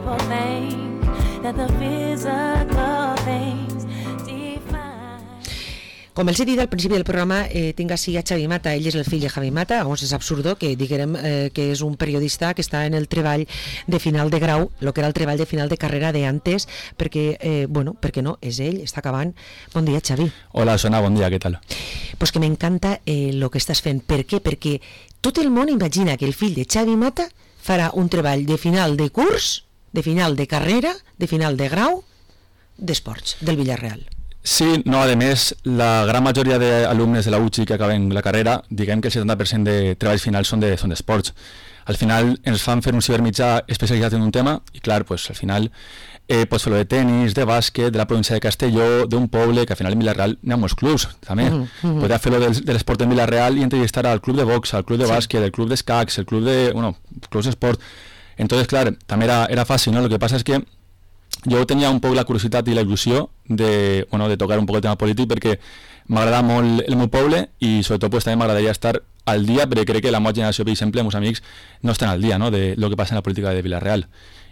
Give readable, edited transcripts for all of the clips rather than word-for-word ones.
people think that the physical things define. Com els he dit al principi del programa, tinc així a Xavi Mata. Ell és el fill de Javi Mata. Llavors és absurdo que diguem que és un periodista que està en el treball de final de grau, el que era el treball de final de carrera d'antes, perquè, perquè no, és ell, està acabant. Bon dia, Xavi. Hola, Sona, bon dia, què tal? Pues que m'encanta el que estàs fent. Per què? Perquè tot el món imagina que el fill de Xavi Mata farà un treball de final de curs, de final de carrera, de final de grau, d'esports, del Villarreal. Sí, no, a més, la gran majoria d'alumnes de la UCI que acaben la carrera, diguem que el 70% de treballs finals són d'esports. Al final ens fan fer un cibermitjà especialitzat en un tema i clar, pues, al final pots fer-lo de tenis, de bàsquet, de la província de Castelló, d'un poble, que al final en Villarreal n'hi ha molts clubs, també. Podria fer-lo de l'esport en Villarreal i entrevistar al club de box, al club de bàsquet, el club d'escacs, el club de... clubs d'esport. Entonces, clar, també era fàcil, ¿no? Lo que pasa es que jo tenia un poc la curiositat i la il·lusió de tocar un poc el tema polític perquè m'agrada molt el meu poble i sobretot pues, també m'agradaria estar al dia perquè crec que la meva generació, per exemple, els meus amics no estan al dia, no?, de lo que passa en la política de Villarreal.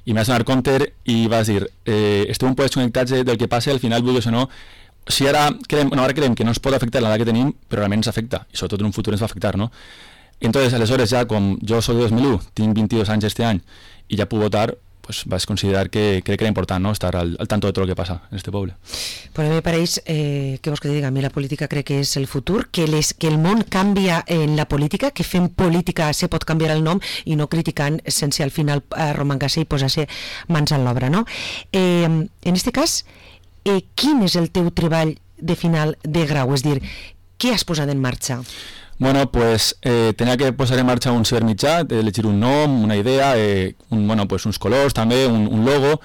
I m'has donat compte i vas dir estem un poc desconnectats del que passa, al final vulguis o no, si ara creiem que no ens pot afectar l'edat que tenim, però realment ens afecta i sobretot en un futur ens va afectar, no? Entonces, aleshores ja, com jo soc de 2001, tinc 22 anys este any i ja puc votar, pues vas considerar que crec que era important, ¿no?, estar al tanto de todo lo que pasa en este pueblo. Pues a mí me pareix, que vos que te diga, a mí la política crec que és el futur, que el món canvia en la política, que fent política se pot canviar el nom i no criticant sense al final romangar-se i posar-se mans a l'obra, no? En este cas, quin és el teu treball de final de grau? És dir, què has posat en marxa? Bueno, pues tenía que posar en marcha un cibermitjà, elegir un nom, una idea, uns colors també, un logo,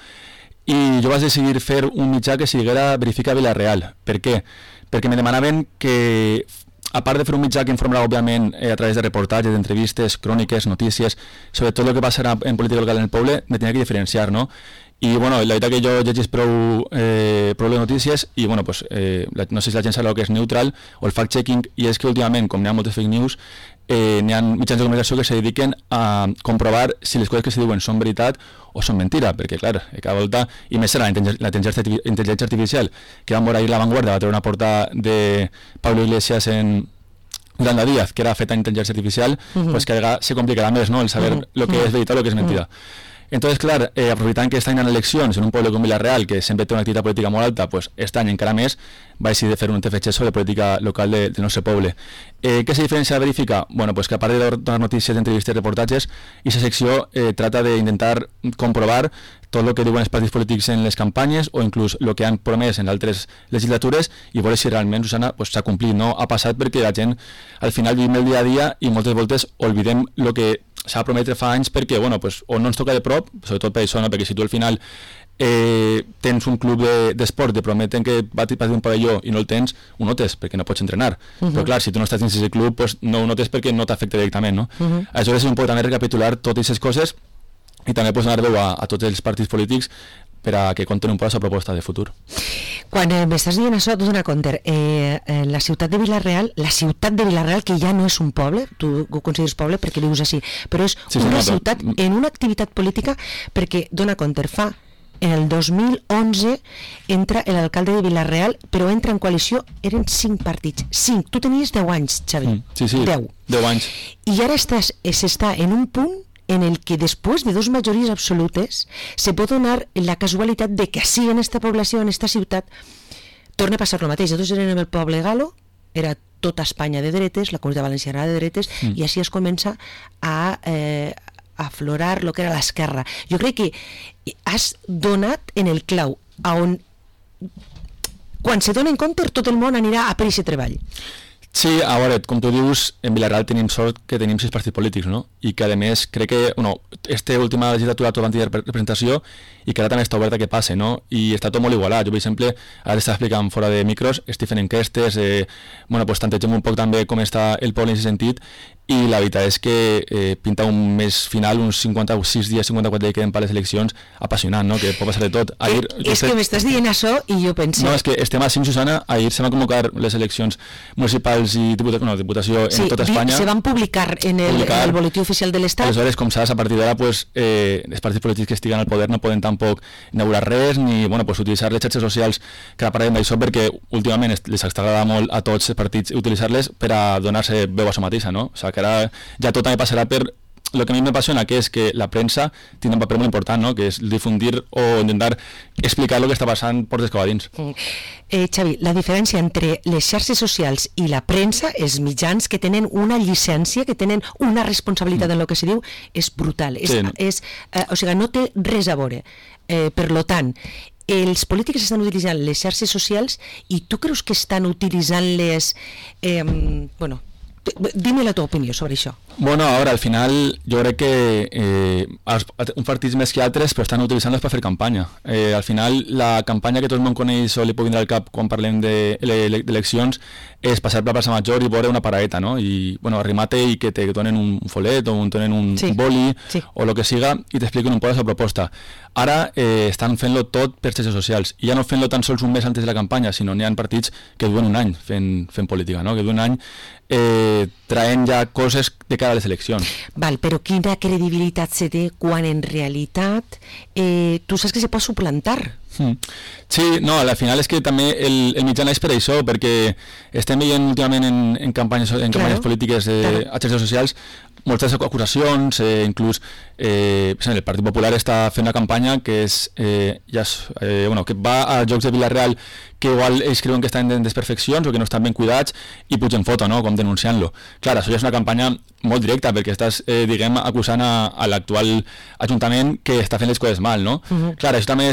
i jo vaig decidir fer un mitjà que siguera Verifica Villarreal. Per què? Perquè me demanaven que, a part de fer un mitjà que informarà, òbviament, a través de reportatges, d'entrevistes, cròniques, notícies, sobre tot el que passarà en política local en el poble, me tenia que diferenciar, no? I la veritat que jo llegís prou les notícies i no sé si la gent sap el que és neutral o el fact-checking, i és que últimament, com n'hi ha moltes fake news, n'hi ha mitjans de comunicació que se dediquen a comprovar si les coses que se diuen són veritat o són mentira, perquè clar, cada volta, i més serà la intel·ligència artificial, que vam veure ahir La Vanguardia, va treure una portada de Pablo Iglesias en Yolanda Díaz, que era feta en intel·ligència artificial, pues que se complicarà més, no?, el saber lo que és veritat o lo que és mentida. Entonces, clar, aprofitant que estan en eleccions en un poble com Villarreal, que sempre té una activitat política molt alta, pues este any encara més va decidir fer un TFG sobre política local del nostre poble. Què se diferencia de Verifica? Bueno, pues que a part de donar notícies, entrevistes, reportatges, aquesta secció trata d'intentar comprovar tot el que diuen els partits polítics en les campanyes o inclús el que han promès en altres legislatures i veure si realment, Susana, s'ha complit, no? Ha passat perquè la gent al final vivim el dia a dia i moltes voltes oblidem el que s'ha prometre fa anys perquè, o no ens toca de prop, sobretot per això, no? Perquè si tu al final tens un club d'esport, te prometen que va a un pavelló i no el tens, ho notes perquè no pots entrenar. Però clar, si tu no estàs dins d'aquest club, pues no ho notes perquè no t'afecta directament, no? Aleshores és un poc també recapitular totes aquestes coses i també pots donar veu a tots els partits polítics per a que compten un poc la seva proposta de futur. Quan m'estàs dient això, t'ho dono compte, la ciutat de Villarreal, que ja no és un poble, tu ho consideres poble perquè vius així, però és una ciutat en una activitat política perquè, dona compte, en el 2011 entra l'alcalde de Villarreal, però entra en coalició, eren 5 partits, 5, tu tenies 10 anys, Xavi, sí, 10 anys. I ara s'està en un punt en el que després de 2 majories absolutes se pot donar la casualitat de que sí, en esta població, en esta ciutat, torna a passar el mateix. Nosaltres érem el poble galo, era tota Espanya de dretes, la comunitat valenciana de dretes, i així es comença a aflorar el que era l'esquerra. Jo crec que has donat en el clau, on quan se dona en compte tot el món anirà a per aquest treball. Sí, a veure, com tu dius, en Villarreal tenim sort que tenim 6 partits polítics, no? I que a més crec que, esta última legislatura tot van tenir representació i que ara també està oberta que passe, no? I està tot molt igualat. Jo, per exemple, ara t'estava explicant fora de micros, estic fent enquestes, pues tantegem un poc també com està el poble en aquest sentit, i la veritat és que pinta un mes final, uns 56 dies, 54 dies que queden per les eleccions, apassionant, no? Que pot passar de tot. Ahir, és que m'estàs dient això i jo penso... No, és que estem així, Susana, ahir se van convocar les eleccions municipals i diputació en tota Espanya. Se van publicar en el boletí oficial de l'Estat. Aleshores, com saps, a partir d'ara, pues, els partits polítics que estiguen al poder no poden tampoc inaugurar res ni pues, utilitzar les xarxes socials, que ara parlem d'això perquè últimament les agrada molt a tots els partits utilitzar-les per a donar-se veu a això mateixa, no? O sigui, que ara ja tot també passarà per lo que a mi m'apassiona, que és que la premsa té un paper molt important, no? Que és difundir o intentar explicar el que està passant portes cap a dins. Xavi, la diferència entre les xarxes socials i la premsa, els mitjans que tenen una llicència, que tenen una responsabilitat en el que se diu, és brutal. O sigui, no té res a veure. Per lo tant, els polítics estan utilitzant les xarxes socials i tu creus que estan utilitzant-les... Dime la teva opinió sobre això. Bueno, ara, al final, jo crec que uns partits més que altres però estan utilitzant-les per fer campanya. Al final, la campanya que tot el món coneix o li pot vindre al cap quan parlem d'eleccions és passar per la plaça Major i veure una paraeta, no? I, bueno, arrimar-te i que te donen un folet o te donen un boli o el que siga i t'expliquen un poc la seva proposta. Ara estan fent-lo tot per xarxes socials i ja no fent-lo tan sols un mes antes de la campanya, sinó n'hi ha partits que duen un any fent política, no? Que duen un any traient ja coses de cara a les eleccions. Val, però quina credibilitat se té quan en realitat tu saps que se pot suplantar? Sí, no, al final és que també el mitjà naix per això, perquè estem veient últimament en campanyes polítiques a xarxes socials moltes acusacions, inclús el Partit Popular està fent una campanya que és que va a jocs de Vila-real que igual ells creuen que estan en desperfeccions o que no estan ben cuidats i pugen foto, no?, com denunciant-lo. Clar, això ja és una campanya molt directa perquè estàs, acusant a l'actual Ajuntament que està fent les coses mal, no? Clar, això també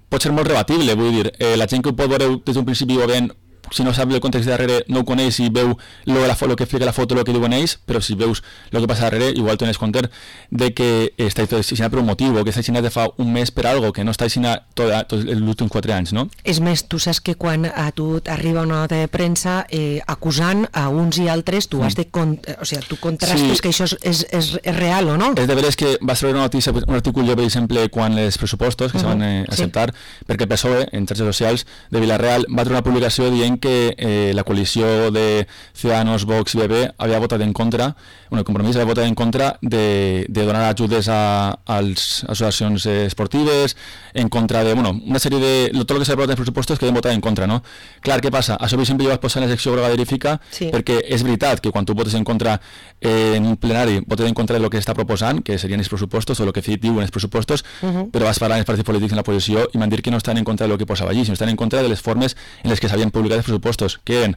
pot ser molt rebatible, vull dir, la gent que ho pot veure des d'un principi ho veient, si no sap el context de darrere no ho coneix i veu el que explica la foto, el que diuen ells, però si veus el que passa darrere igual tens compte de que està assassinat per un motiu o que està assassinat de fa un mes per algo que no està assassinat tots els últims 4 anys, no? És més, tu saps que quan a tu t'arriba una nota de premsa acusant a uns i altres, tu has de tu contrastes que això és real o no? És de veres que va ser una notícia, un article, per exemple, quan els pressupostos que se van acceptar, perquè el PSOE, en xarxes socials de Vila-real, va treure una publicació dient que la coalició de Ciudadanos, Vox i PP havia votat en contra, el Compromís havia votat en contra de donar ajudes a les associacions esportives, en contra de, una sèrie de... tot el que s'ha aprovat en els pressupostos que havien votat en contra, no? Clar, què passa? Això, per exemple, jo vaig posar en la secció groga verifica perquè és veritat que quan tu votes en contra en un plenari, votes en contra del que està proposant, que serien els pressupostos o el que diuen els pressupostos, però vas parlar amb els partits polítics en la posició i m'han dit que no estan en contra del que posava allí, sinó estan en contra de les formes en les que s'havien publicat els pressupostos, que eren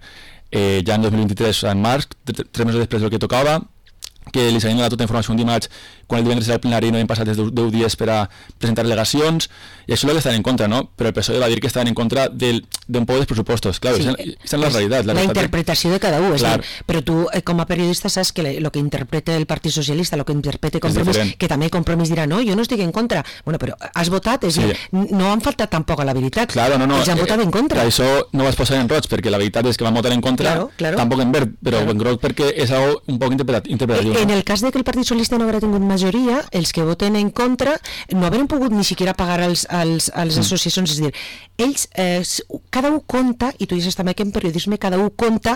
ja en 2023, en març, 3 mesos després del que tocava, que li s'havien donat tota informació un dimarts quan el divendres era el plenari no havien passat 10 dies per a presentar al·legacions i això és el que estaven en contra, no? Però el PSOE va dir que estaven en contra d'un poc dels pressupostos. Clar, aquesta és la realitat. La interpretació de cada un, però tu com a periodista saps que el que interpreta el Partit Socialista, el que interpreta Compromís, que també Compromís dirà, no, jo no estic en contra. Bueno, però has votat, és dir, no han faltat tampoc a la veritat. Claro, no, ells han votat en contra. Això no vas posar en roig, perquè la veritat és que van votar en contra, tampoc en verd, però en groc perquè és algo un poc interpretatiu. En el cas de que el Partit Socialista no haguera tingut majoria, els que voten en contra no haurien pogut ni siquiera pagar als associacions, és a dir, ells, cada un compta, i tu dius també que en periodisme cada un compta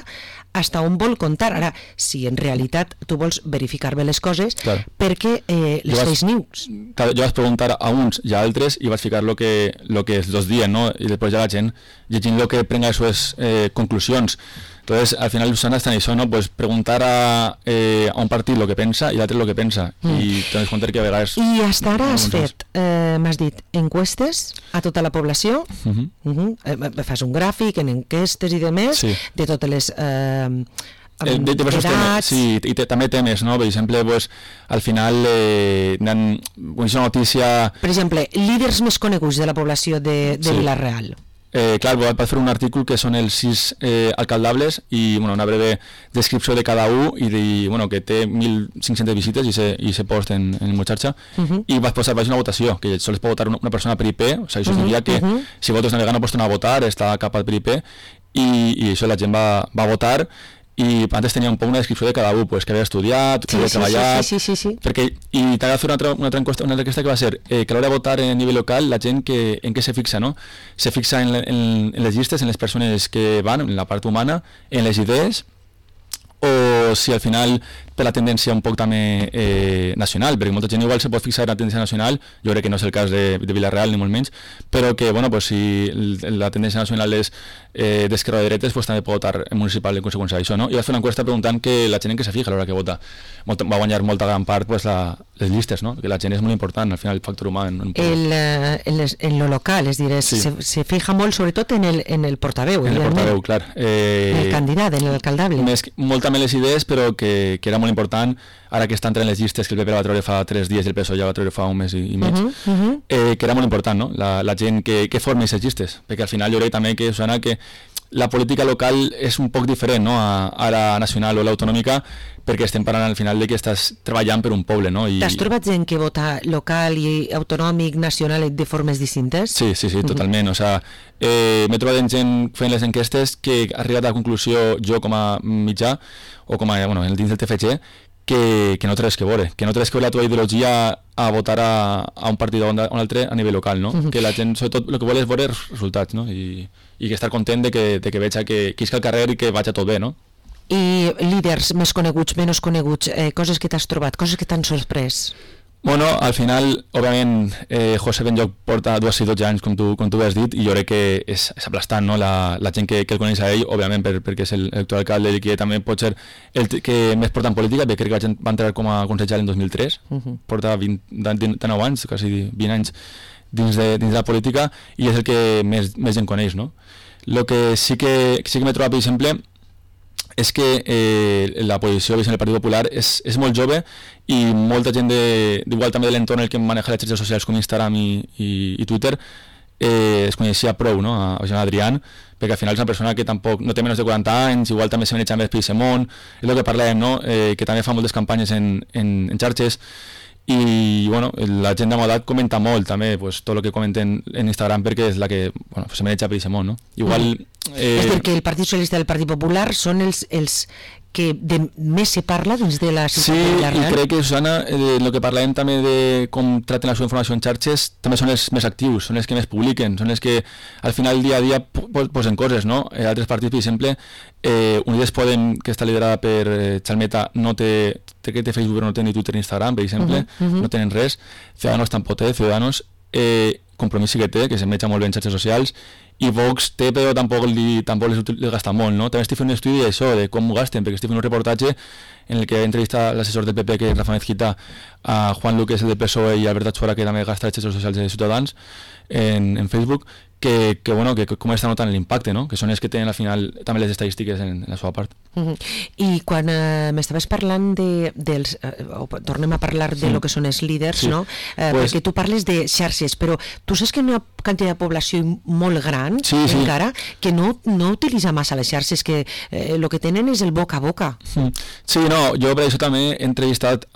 hasta on vol comptar. Ara, si en realitat tu vols verificar bé les coses, perquè les fake news. Jo vaig preguntar a uns i a altres i vaig ficar lo que els dos diuen, no? I després ja la gent llegint lo que prenga les seves conclusions. Entonces, al final, Susana, está en eso, ¿no? Pues preguntar a un partit lo que pensa i l'altre lo que pensa. I te'n compte que a vegades... I hasta ara has fet, m'has dit, encuestes a tota la població, fas un gràfic en enquestes i demés, de totes les... edats... Sí, i també temes, no? Per exemple, pues, al final una notícia... Per exemple, líders més coneguts de la població de Vila-real. Clar, vaig fer un article que són els 6 alcaldables i una breve descripció de cada un i que té 1.500 visites i se post en el meu xarxa i vaig posar una votació, que sols pot votar una persona per IP, o sigui, això significa que si votes navegant no pots tornar a votar, està cap per IP i això la gent va votar i antes tenia un poc una descripció de cada un, pues, que havia estudiat, que havia treballat... Sí. Perquè, i t'ha de fer una altra enquesta que va ser que a l'hora de votar a nivell local, la gent en què se fixa, no? Se fixa en les llistes, en les persones que van, en la part humana, en les idees, o si al final per la tendència un poc també nacional, perquè molta gent igual se pot fixar en la tendència nacional, jo crec que no és el cas de Vilareal ni molt menys, però que bueno, pues, si la tendència nacional és d'esquerra o de dretes, pues, també pot votar en municipal en conseqüència d'això, no? I va fer una enquesta preguntant que la gent en què se fija a l'hora que vota. Va guanyar molta gran part pues, les llistes, no? Que la gent és molt important, al final el factor humà en lo local, és a dir, sí. se fija molt sobretot en el portaveu, en el portaveu, clar. En el candidat, en l'alcaldable. Molt també les idees, però que era molt important, ara que està entrant les llistes, que el PP va treure fa 3 dies i el PSOE ja va treure fa un mes i mig, que era molt important, no? La gent que forma aquestes llistes, perquè al final jo crec també que, Susana, que la política local és un poc diferent, no? a la nacional o l'autonòmica, perquè estem parlant al final de que estàs treballant per un poble, no? T'has trobat gent que vota local i autonòmic, nacional de formes distintes? Sí, totalment. O sea, m'he trobat gent fent les enquestes que ha arribat a la conclusió, jo com a mitjà, o com a, dins del TFG, que no té res que veure, la teva ideologia a votar a un partit o un altre a nivell local, no? Que la gent, sobretot, el que vol és veure els resultats, no? I que estar content de que veig que isca al carrer i que vaig tot bé, no? I líders més coneguts, menys coneguts, coses que t'has trobat, coses que t'han sorprès? Bueno, al final, òbviament, José Benlloch porta 2 i 12 anys, com tu has dit, i jo crec que és aplastant, no? La gent que el coneix a ell, òbviament, perquè és l'actual alcalde i que també pot ser el que més porta en política, perquè crec que va entrar com a consellera en 2003, porta 19 anys, quasi 20 anys dins de la política, i és el que més gent coneix, no? El que sí que m'he trobat, per exemple, és que la posició del Partit Popular és molt jove i molta gent igual també de l'entorn el que maneja les xarxes socials com Instagram i Twitter es coneixia prou, no? A Adrián, perquè al final és una persona que tampoc no té menys de 40 anys, igual també se maneja més per Semon, és el que parlem, no? Que també fa moltes campanyes en xarxes, i bueno, la gent de modat comenta molt també, pues, tot el que comenten en Instagram, perquè és la que se maneja per Semon, no? Igual... És dir, que el Partit Socialista i el Partit Popular són els que més se parla dins de la ciutat de Vilareal. Sí, i crec que, Susana, el que parlem també de com traten la seva informació en xarxes, també són els més actius, són els que més publiquen, són els que al final dia a dia posen coses, no? Altres partits, per exemple, Unides Podem, que està liderada per Chalmeta, no té Facebook, però no té ni Twitter ni Instagram, per exemple, no tenen res. Ciudadanos tampoc té, Ciudadanos, Compromís sí que té, que s'emetja molt bé en xarxes socials, i Vox té, però tampoc les gasta molt, no? També estic fent un estudi d'això, de com ho gasten, perquè estic fent un reportatge en el que entrevista l'assessor del PP, que és Rafa Mezquita, a Juan Luque, el del PSOE, i Albert Achuara, que també gasta les xarxes socials de Ciutadans en Facebook, que com està notant l'impacte, no? Que són els que tenen al final també les estadístiques en la seva part. I quan m'estaves parlant tornem a parlar de lo que són els líders, no? Perquè tu parles de xarxes, però tu saps que hi ha una quantitat de població molt gran encara que no utilitza massa les xarxes, que el que tenen és el boca a boca. Sí, no, jo per això també he entrevistat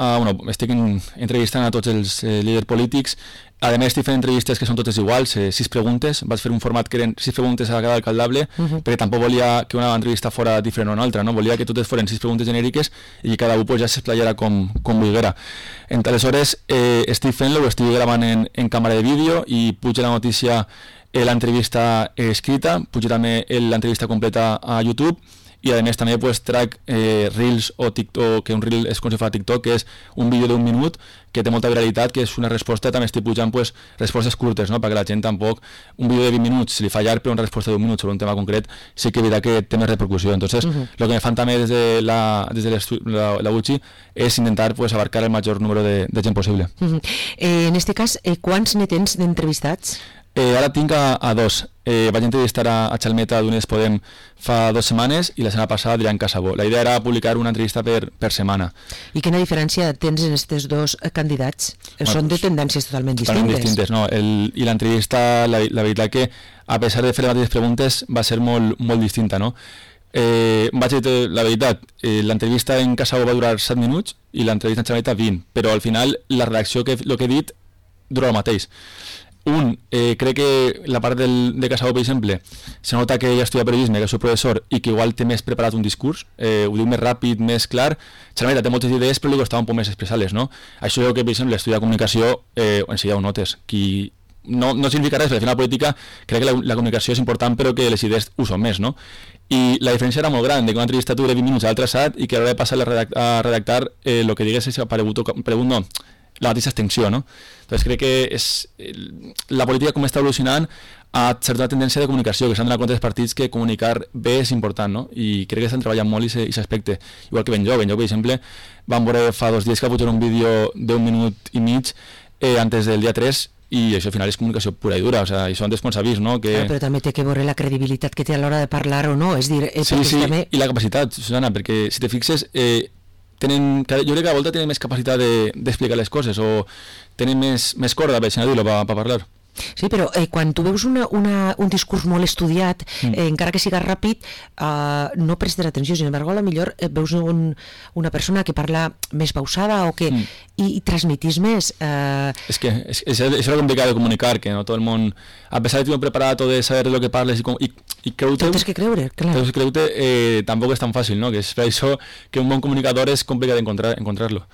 estic entrevistant a tots els líders polítics. A més, estic fent entrevistes que són totes iguals, 6 preguntes. Vaig fer un format que eren 6 preguntes a cada alcaldable, perquè tampoc volia que una entrevista fora diferent o una altra, no? Volia que totes foren 6 preguntes genèriques i que cada un ja s'esplayara com volguera. Aleshores, estic fent-lo, ho estic gravant en càmera de vídeo i puja la notícia, l'entrevista escrita, puja també l'entrevista completa a YouTube, i a més també trac Reels o TikTok, que un Reel és com si fa TikTok, que és un vídeo d'1 minut que té molta viralitat, que és una resposta, també estic pujant respostes curtes, no? Perquè la gent tampoc, un vídeo de 20 minuts, si li fa llarg, però una resposta d'1 minut sobre un tema concret, sí que veritat que té més repercussió. Entonces, lo que me fan també des de la UCI és intentar abarcar el major número de gent possible. En este cas, quants ne tens d'entrevistats? Ara tinc a 2. Vaig entrevistar a Chalmeta d'Unides Podem fa 2 setmanes i la setmana passada a Adrián Casabó. La idea era publicar una entrevista per setmana. I quina diferència tens en aquests 2 candidats? Són de tendències totalment distintes. No? I l'entrevista, la veritat que, a pesar de fer les mateixes preguntes, va ser molt, molt distinta, no? Vaig dir la veritat, l'entrevista en Casabó va durar 7 minuts i l'entrevista en Chalmeta 20, però al final la redacció, el que he dit, dura el mateix. crec que la part de Casado, per exemple, se nota que ella estudia periodisme, que és el professor, i que igual té més preparat un discurs, ho diu més ràpid, més clar, Xarameta té moltes idees, però li costava un poc més expressar-les, no? Això jo que, per exemple, estudiar comunicació, enseguida ho notes, qui no significa res, perquè al final la política crec que la comunicació és important, però que les idees ho són més, no? I la diferència era molt gran, de que una entrevista dura 20 minuts a l'altre assat i que a l'hora de passar a redactar el que digués és aparegut no, la mateixa extensió, no? Entonces crec que la política com està evolucionant ha certa tendència de comunicació, que s'han donat compte dels partits que comunicar bé és important, no? I crec que estan treballant molt i s'aspecte. Igual que Ben Jo, per exemple, vam veure fa 2 dies que ha pujat un vídeo d'1 minut i mig antes del dia 3 i això al final és comunicació pura i dura, o sea, això antes quan s'ha vist, no? Que... Però també té que veure la credibilitat que té a l'hora de parlar o no, és dir... Sí, també... i la capacitat, Susana, perquè si te fixes, jo crec que a volta tenen més capacitat d'explicar les coses o tenen més corda, per dir-ho, per parlar. Sí, però quan tu veus un discurs molt estudiat, encara que siga ràpid, no prestes atenció. Sin embargo, a lo millor veus una persona que parla més pausada o que i transmitís més... És que és lo complicat de comunicar, que no tot el món, a pesar de tenir preparat o de saber lo que parles i creure-te... Tens que creure, clar. Tens que creure tampoc és tan fàcil, no? Que és per això que un bon comunicador és complicat encontrar-lo.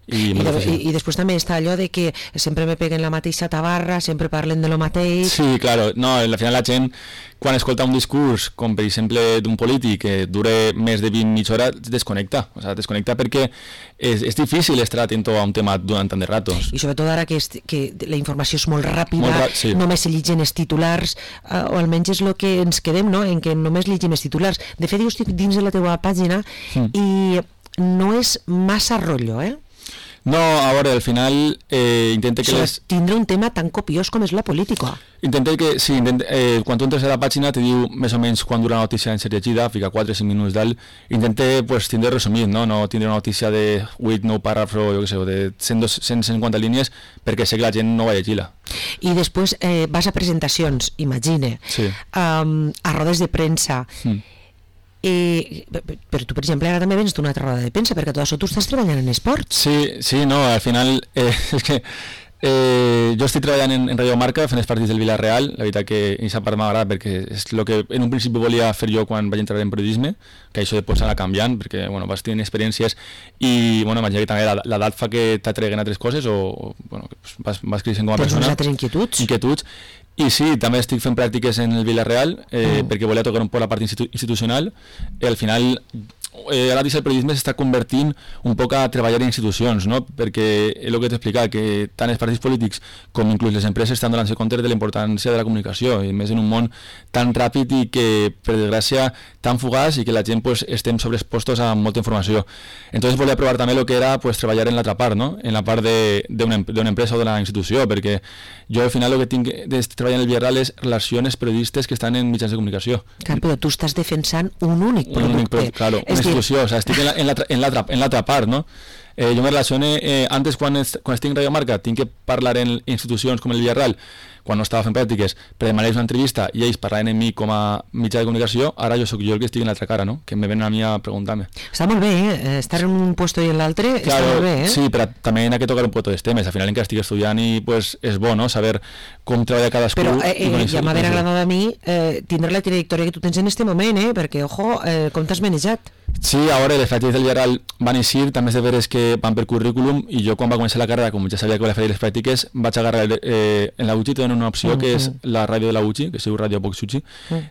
I després també està allò de que sempre me peguen la mateixa tabarra, sempre parlen de lo mateix... Sí, claro, no, al final la gent quan escolta un discurs, com per exemple d'un polític que dure més de 20 mitja hora, desconnecta, o sea, desconnecta perquè és difícil estar atent a un tema durant tant de ratos. I sobretot ara que la informació és molt ràpida, sí. Només se llegeixen els titulars, o almenys és el que ens quedem, no? En què només llegim els titulars. De fet, jo estic dins de la teva pàgina i no és massa rotllo, No, a veure, al final intenta que tindre un tema tan copiós com és la política. Intenta que, sí, quan tu entres a la pàgina te diu més o menys quan dura la notícia en ser llegida, fica 4 o 5 minuts dalt, intenta pues, tindre resumit, no tindre una notícia de 8, 9 paràgrafs o jo què sé, de 150 línies, perquè sé que la gent no va llegir-la. I després vas a presentacions, imagine, sí. A rodes de premsa, però tu, per exemple, ara també vens d'una altra roda de premsa, perquè tot això tu estàs treballant en esports. Sí, no, al final és que jo estic treballant en Radio Marca fent els partits del Villarreal, la veritat que aquesta part m'agrada perquè és el que en un principi volia fer jo quan vaig entrar en periodisme, que això després s'ha anat canviant perquè vas tenint experiències i imagina que també l'edat fa que t'atreguen altres coses o vas creixent com a persona. Tens unes altres inquietuds. I sí, també estic fent pràctiques en el Villarreal perquè volia tocar un poc la part institucional i al final ara el periodisme s'està convertint un poc a treballar en institucions, no? Perquè és el que t'he explicat, que tant els partits polítics com inclús les empreses estan donant-se compte de la importància de la comunicació, i més en un món tan ràpid i que, per desgràcia, tan fugaç i que la gent pues, estem sobreexpostos a molta informació. Entonces volia provar també el que era pues, treballar en l'altra part, no? En la part d'una empresa o d'una institució, perquè jo al final el que tinc de treballar en el Villarreal és relacions periodistes que estan en mitjans de comunicació. Clar, però tu estàs defensant un únic producte. Claro, una institució, o sea, estic en l'altra part, no? Jo me relacione, antes quan estic en Radio Marca tinc que parlar en institucions com el Villarreal, quan no estava fent pràctiques, per demanar-los una entrevista i ells parlaven en mi com a mitjà de comunicació, ara jo sóc jo el que estic en l'altra cara, no? Que me ven a mi a preguntar-me. Està molt bé, estar en un puesto i en l'altre està molt bé, Sí, però també hi ha que tocar un poc dels temes, al final encara estic estudiant i pues, és bo, no?, saber com treballa cadascú. Però ja m'haver agradat a mi tindre la trajectòria que tu tens en este moment, perquè, ojo, com t'has manejat? Sí, a veure, les pràctiques del Villarreal van eixir, també és de veres que van per currículum, i jo quan va començar la carrera, com ja sabia que volia fer les pràctiques, vaig agarrar en la UCI, tenen una opció que és la ràdio de la UCI, que es diu Ràdio Poc-Suchi,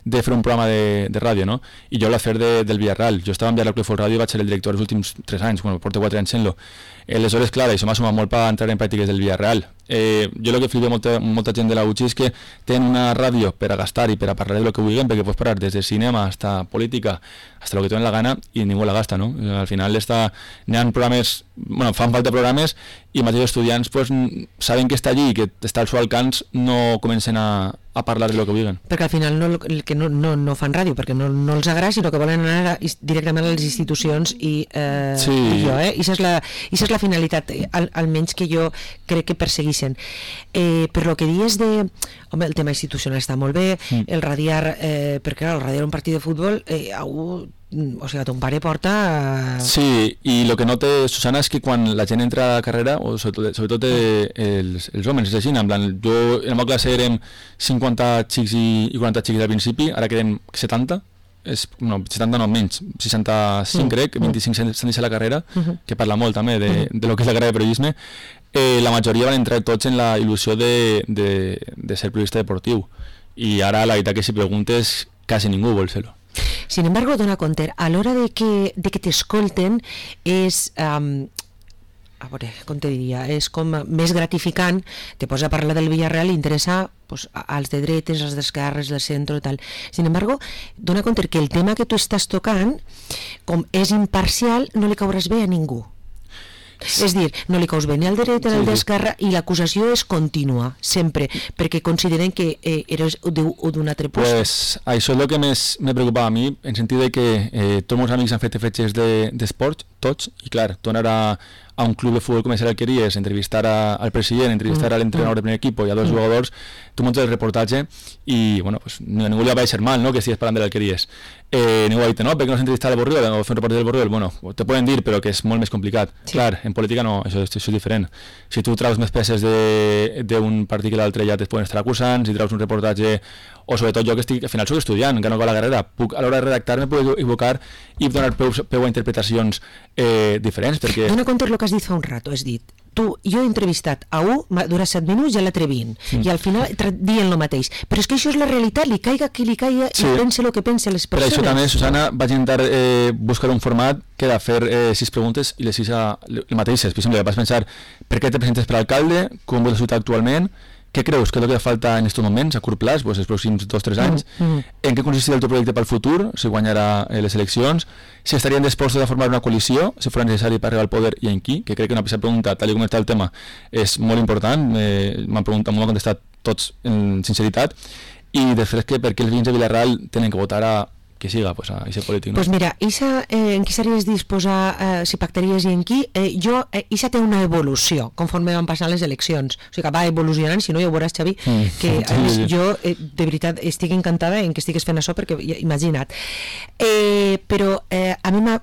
de fer un programa de ràdio, no? I jo l'he fet del Villarreal. Jo estava enviat al Club Ràdio i vaig ser el director els últims 3 anys, bueno, porto 4 anys sent-lo. Aleshores, clar, això m'ha sumat molt per entrar en pràctiques del Villarreal. Jo el que flipa molta gent de la UCI és que tenen una ràdio per a gastar i per a parlar de lo que vulguin, perquè pots parar des de cinema hasta política, hasta lo que tenen la gana, i ningú la gasta, no? Al final n'hi ha programes, bueno, fan falta programes, i mateix els estudiants pues, saben que està allí i que està al seu alcance, no comencen a parlar de lo que vulguin. Perquè al final no fan ràdio, perquè no els agrada, sinó que volen anar directament a les institucions i jo, i això és la finalitat, almenys que jo crec que persegueixen. Per lo que dius de... Home, el tema institucional està molt bé, el radiar, perquè clar, el radiar un partit de futbol, o sigui, ton pare porta... Sí, i el que note, Susana, és que quan la gent entra a la carrera, o sobretot els homes, és així, en plan, jo en la meva classe érem 50 xics i 40 xics al principi, ara quedem 70, 70 no, menys, 65 crec, 25 s'han deixat la carrera, que parla molt també de lo que és la carrera de periodisme. La majoria van entrar tots en la il·lusió de ser periodista deportiu, i ara la veritat que si preguntes quasi ningú vol ser-lo. Sin embargo, dona compte, a l'hora de que t'escolten és, a veure, com te diria, és com més gratificant, te posa a parlar del Villarreal i interessa pues, als de dretes, als d'esquerres, del centre i tal. Sin embargo, dona compte que el tema que tu estàs tocant, com és imparcial, no li cauràs bé a ningú. És dir, no li caus bé ni al dret ni al d'esquerra, i l'acusació és contínua, sempre, perquè consideren que eres d'un altre post. Pues això és el que més me preocupava a mi, en sentit de que tots els meus amics han fet fetges d'esport, tots, i clar, tu anar a un club de futbol com és el Alqueries, entrevistar al president, entrevistar a l'entrenador del primer equip i a dos jugadors, tu muntes el reportatge i, bueno, pues, ningú li va a ser mal, ¿no?, que estigues parlant de l'Alqueries. Ningú va dir, no, perquè no has entrevistat al Borriol o fer un reportatge del Borriol? Bueno, te poden dir, però que és molt més complicat. Sí. Clar, en política no, això és diferent. Si tu traus més peces d'un partit que l'altre ja et poden estar acusant, si traus un reportatge, o sobretot jo que estic, al final soc estudiant, encara no acabo la carrera, a l'hora de redactar me puc equivocar i donar peu a interpretacions diferents, perquè... Dona compte el que has dit fa un rato, has dit, jo he entrevistat a un, dura 7 minuts i a l'altre 20, i al final dient el mateix, però és que això és la realitat, li caiga qui li caiga i pense el que pensen les persones. Per això també, Susana, vaig intentar buscar un format que era fer 6 preguntes i les 6 mateixes. Per exemple, vas pensar per què te presentes per alcalde, com vols la ciutat actualment, què creus que és el que falta en aquests moments, a curt plaç, doncs els pròxims 2-3 anys? En què consistirà el teu projecte pel futur, si guanyarà les eleccions? Si estarien dispostos a formar una coalició, si fos necessari per arribar al poder i en qui? Que crec que una pregunta, tal com està el tema, és molt important. M'han contestat tots en sinceritat. I després, per què els veïns de Villarreal tenen que votar a que siga pues, a ese polític, ¿no? Pues mira, en qui series disposar, si pactaries i en qui, Isa té una evolució conforme van passant les eleccions, o sigui que va evolucionant, si no ja ho veuràs, Xavi, que a més jo de veritat estic encantada en que estigues fent això, perquè imagina't, però a mi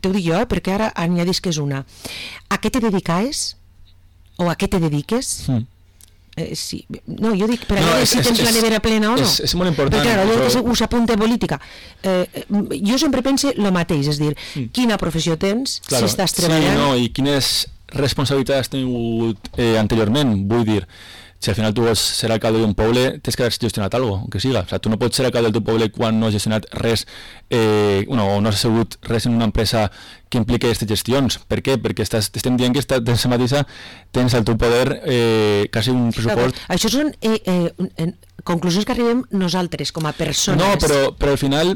t'ho dic jo, perquè ara añadis que és una, a què te dediques o a què te dediques? Sí. No, jo dic, per a veure si tens la nevera plena o no. És molt important. Però clar, allò que s'apunta a política. Jo sempre pense el mateix, és dir, quina professió tens, si estàs treballant... Sí, no, i quines responsabilitats has tingut anteriorment, vull dir, si al final tu vols ser alcalde d'un poble, tens que haver gestionat alguna cosa, que siga. O sigui, tu no pots ser alcalde del teu poble quan no has gestionat res, o no has assegut res en una empresa que impliqui aquestes gestions. Per què? Perquè estem dient que tens mateixa, tens al teu poder quasi un pressupost... Això són conclusions que arribem nosaltres, com a persones. No, però al final...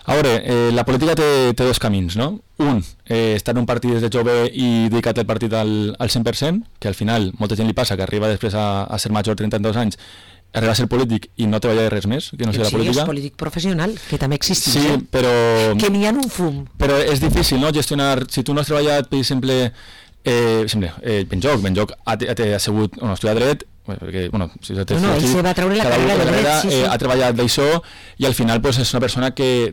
A veure, la política té dos camins, no? Un, estar en un partit des de jove i dedicar-te al partit al 100%, que al final molta gent li passa, que arriba després a ser major, 32 anys, arriba a ser polític i no treballa de res més, que no sigui la política. Sí, és polític professional, que també existeix. Sí, però... Que n'hi ha un fum. Però és difícil, no?, gestionar... Si tu no has treballat, per exemple, Benjoc ha assegut, no, estudiar dret, perquè, bueno, si ell se va treure la carrera de dret, sí. Ha treballat d'això i al final pues, és una persona que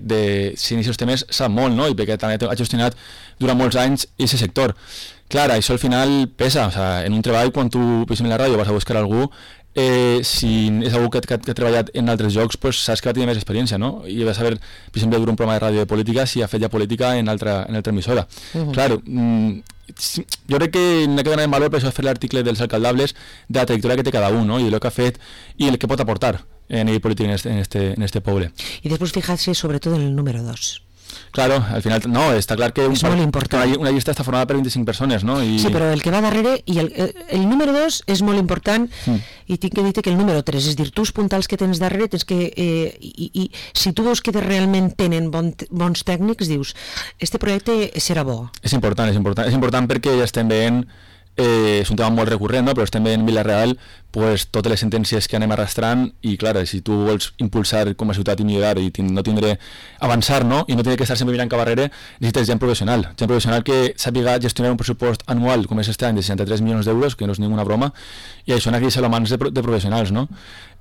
si inicia els temes sap molt, no? I perquè també ha gestionat durant molts anys aquest sector. Clar, això al final pesa, o sea, en un treball quan tu, per exemple, en la ràdio vas a buscar algú, si és algú que ha treballat en altres llocs, pues, saps que va tenir més experiència, no? I vas saber, per exemple, dur un programa de ràdio de política si ha fet ja política en altra emissora. Clar, jo crec que n'ha que donar en valor per això fer l'article dels alcaldables de la trajectòria que té cada un, no? I el que ha fet i el que pot aportar en el polític en este poble. I després fijar-se sobretot en el número 2. Claro, al final, no, està clar que una llista està formada per 25 persones, no? Sí, però el que va darrere, i el número 2 és molt important, i tinc que dir que el número 3, és dir, tu els puntals que tens darrere, tens que, i si tu veus que realment tenen bons tècnics, dius, este projecte serà bo. És important perquè ja estem veient és un tema molt recurrent, no? Però estem veient en Vila-real pues, totes les sentències que anem arrastrant i clar, si tu vols impulsar com a ciutat i millorar i no tindre avançar, no? I no tindre que estar sempre mirant cap darrere, necessites gent professional que sàpiga gestionar un pressupost anual com és este any de 63 milions d'euros, que no és ninguna broma, i això aquí a mans de professionals, no?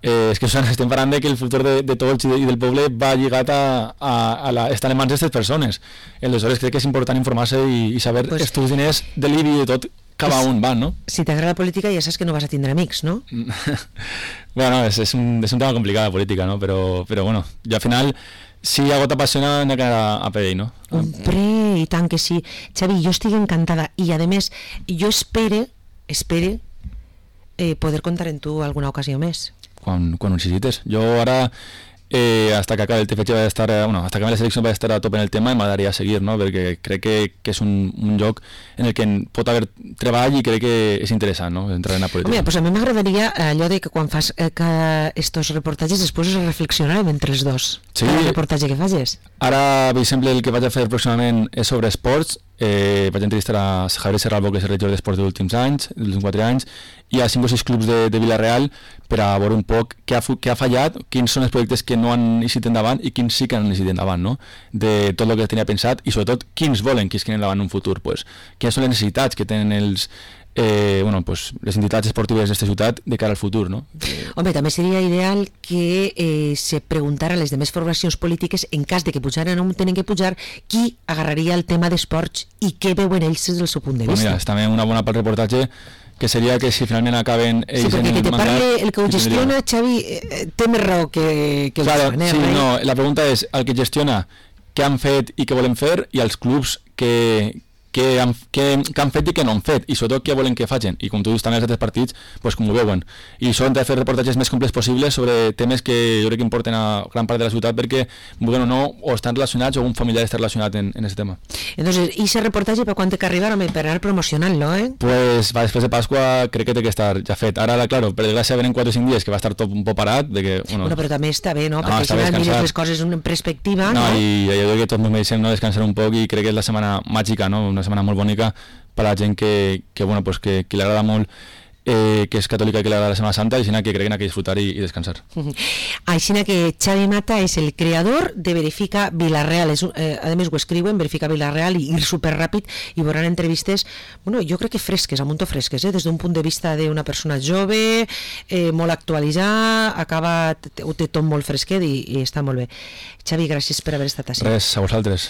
És que estem parlant de que el futur de tots i del poble va lligat estar en mans d'aquestes persones. Aleshores crec que és important informar-se i saber els teus diners de l'IBI i de tot cap a on van, no? Si t'agrada la política ja saps que no vas a tindre amics, no? Bueno, és un tema complicat la política, no? Però bueno, jo al final si algo t'apassiona n'ha que anar a per ell, no? Hombre, i tant que sí. Xavi, jo estic encantada i a més jo espere poder contar en tu alguna ocasió més. Quan ho necessites. Jo ara hasta que acabe el TFG hasta que acabe la selección va a estar a tope en el tema i m'agradaria seguir, no? Perquè crec que és un lloc en el que pot haver treball i crec que és interessant, no? Entrar en la política. Home, pues a mi m'agradaria allò de que quan fas estos reportatges després reflexionarem entre els dos. Sí. El reportatge que facis. Ara, per exemple, el que vaig a fer pròximament és sobre esports. Vaig entrevistar a Javier Serralbo, que és el regidor d'esports dels últims anys, dels últims 4 anys, i a 5 o 6 clubs de Vila-real per a veure un poc què ha fallat, quins són els projectes que no han eixit endavant i quins sí que han eixit endavant, no? De tot el que tenia pensat i sobretot quins volen que isquin endavant en un futur, pues, quines són les necessitats que tenen les entitats esportives d'esta ciutat de cara al futur, no? Home, també seria ideal que se preguntara a les demés formacions polítiques, en cas de que pujaren o no tenen que pujar, qui agarraria el tema d'esports i què veuen ells des del seu punt de vista. Mira, és també una bona part del reportatge que seria que si finalment acaben ells sí, perquè que te parli el que ho gestiona, Xavi, té més raó que el claro, fan, sí, no, la pregunta és el que gestiona què han fet i què volen fer i els clubs que han fet i que no han fet i sobretot què volen que facin i com tu dius també els altres partits pues, com ho veuen i això hem de fer reportatges més complets possibles sobre temes que jo crec que importen a gran part de la ciutat perquè vulguin o no o estan relacionats o un familiar està relacionat en aquest tema. Entonces, ¿y ese reportatge per quan té que arribar per anar promocionant-lo, Pues va, després de Pasqua crec que té que estar ja fet. Ara, claro, per desgràcia venen 4 o 5 dies que va estar tot un poc parat de que, bueno, però també està bé, no? Perquè si no mires les coses en perspectiva, no? I jo crec que tots ens mereixem descansar un poc i crec que és la setmana màgica, no? Una setmana molt bonica per a la gent que li agrada molt que és catòlica i que li agrada la Setmana Santa i que creen que disfrutar i descansar. Així que Xavi Mata és el creador de Verifica Vila-real, a més ho escriuen, Verifica Vila-real i ir superràpid i veuran entrevistes, bueno, jo crec que fresques, a muntó fresques, des d'un punt de vista d'una persona jove, molt actualitzada, ho té tot molt fresquet i està molt bé. Xavi, gràcies per haver estat així. Res, a vosaltres.